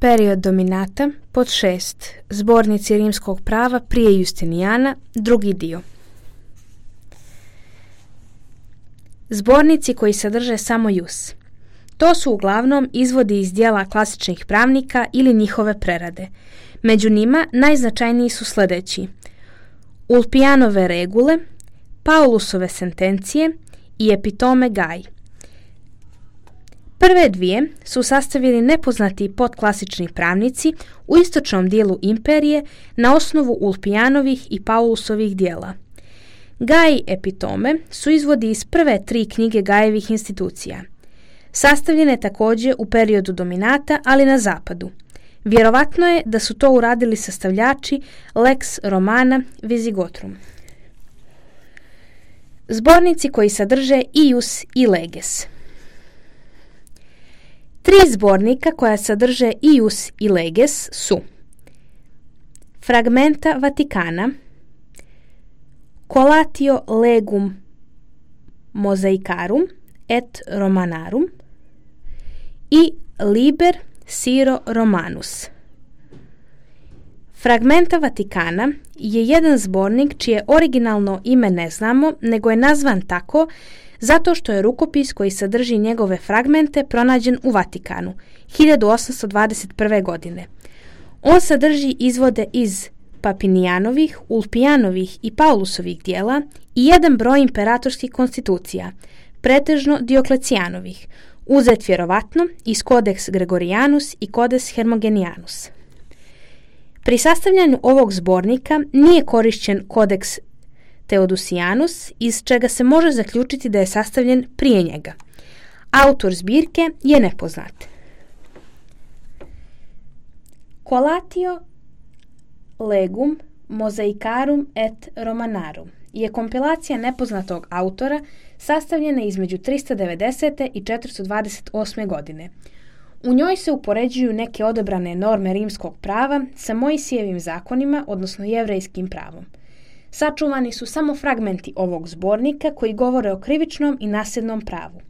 Period dominata, pod 6. Zbornici rimskog prava prije Justinijana, drugi dio. Zbornici koji sadrže samo jus. To su uglavnom izvodi iz dijela klasičnih pravnika ili njihove prerade. Među njima najznačajniji su sljedeći: Ulpijanove regule, Paulusove sentencije i Epitome Gaj. Prve dvije su sastavili nepoznati podklasični pravnici u istočnom dijelu imperije na osnovu Ulpijanovih i Paulusovih dijela. Gaj i Epitome su izvodi iz prve 3 knjige Gajevih institucija. Sastavljene također u periodu dominata, ali na zapadu. Vjerovatno je da su to uradili sastavljači Lex Romana Visigotrum. Zbornici koji sadrže ius i leges. 3 zbornika koja sadrže ius i leges su Fragmenta Vaticana, Collatio legum Mosaicarum et Romanarum i Liber Syro Romanus. Fragmenta Vaticana je jedan zbornik čije originalno ime ne znamo, nego je nazvan tako zato što je rukopis koji sadrži njegove fragmente pronađen u Vatikanu 1821. godine. On sadrži izvode iz Papinijanovih, Ulpijanovih i Paulusovih dijela i jedan broj imperatorskih konstitucija, pretežno Dioklecijanovih, uzet vjerovatno iz Codex Gregorianus i Codex Hermogenianus. Pri sastavljanju ovog zbornika nije korišćen Codex Theodosianus, iz čega se može zaključiti da je sastavljen prije njega. Autor zbirke je nepoznat. Collatio legum Mosaicarum et Romanarum je kompilacija nepoznatog autora sastavljena između 390. i 428. godine. U njoj se upoređuju neke odabrane norme rimskog prava sa Mojsijevim zakonima, odnosno jevrejskim pravom. Sačuvani su samo fragmenti ovog zbornika koji govore o krivičnom i nasljednom pravu.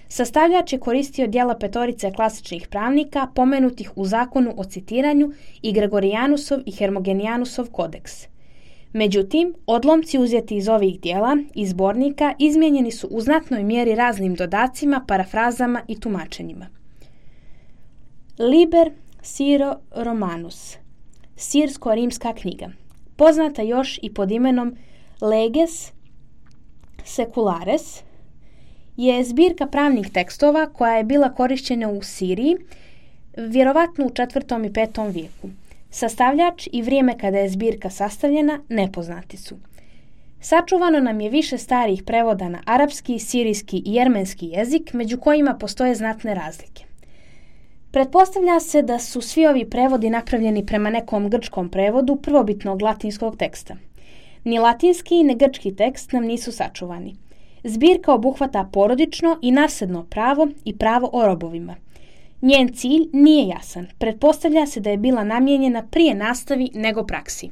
Sastavljač je koristio dijela petorice klasičnih pravnika pomenutih u zakonu o citiranju i Gregorijanusov i Hermogenijanusov kodeks. Međutim, odlomci uzeti iz ovih dijela i zbornika izmijenjeni su u znatnoj mjeri raznim dodacima, parafrazama i tumačenjima. Liber Syro Romanus, sirsko-rimska knjiga, poznata još i pod imenom Leges Seculares, je zbirka pravnih tekstova koja je bila korišćena u Siriji, vjerovatno u 4. i 5. vijeku. Sastavljač i vrijeme kada je zbirka sastavljena nepoznati su. Sačuvano nam je više starih prevoda na arapski, sirijski i jermenski jezik, među kojima postoje znatne razlike. Pretpostavlja se da su svi ovi prevodi napravljeni prema nekom grčkom prevodu prvobitnog latinskog teksta. Ni latinski ni grčki tekst nam nisu sačuvani. Zbirka obuhvata porodično i nasljedno pravo i pravo o robovima. Njen cilj nije jasan. Pretpostavlja se da je bila namijenjena prije nastavi nego praksi.